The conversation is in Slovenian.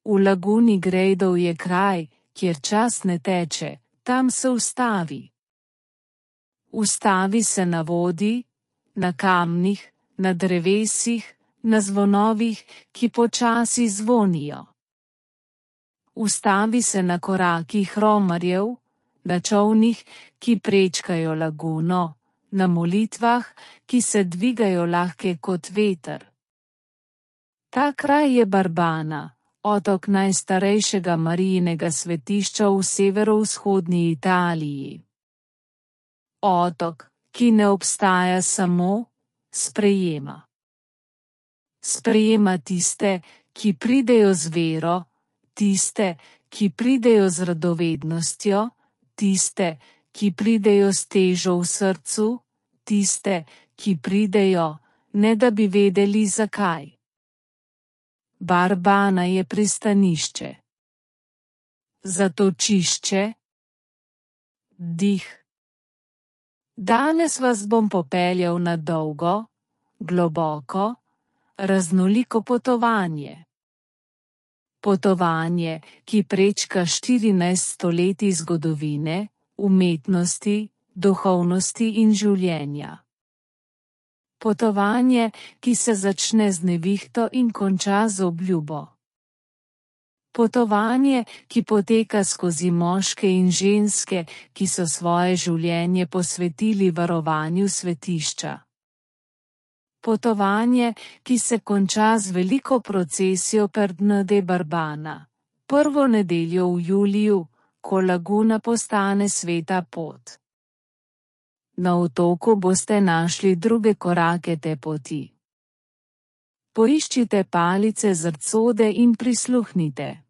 V laguni Grejdov je kraj, kjer čas ne teče, tam se ustavi. Ustavi se na vodi, na kamnih, na drevesih, na zvonovih, ki počasi zvonijo. Ustavi se na korakih romarjev, na čolnih, ki prečkajo laguno, na molitvah, ki se dvigajo lahke kot veter. Ta kraj je Barbana, otok najstarejšega Marijinega svetišča v severovzhodni Italiji. Otok, ki ne obstaja samo, sprejema. Sprejema tiste, ki pridejo z vero, tiste, ki pridejo z radovednostjo, tiste, ki pridejo s težo v srcu, tiste, ki pridejo, ne da bi vedeli zakaj. Barbana je pristanišče. Zatočišče. Dih. Danes vas bom popeljal na dolgo, globoko, raznoliko potovanje. Potovanje, ki prečka 14 stoletij zgodovine, umetnosti, duhovnosti in življenja. Potovanje, ki se začne z nevihto in konča z obljubo. Potovanje, ki poteka skozi moške in ženske, ki so svoje življenje posvetili varovanju svetišča. Potovanje, ki se konča z veliko procesijo per Dne de Barbana, prvo nedeljo v juliju, ko laguna postane sveta pot. Na otoku boste našli druge korake te poti. Poiščite palice zrcode in prisluhnite.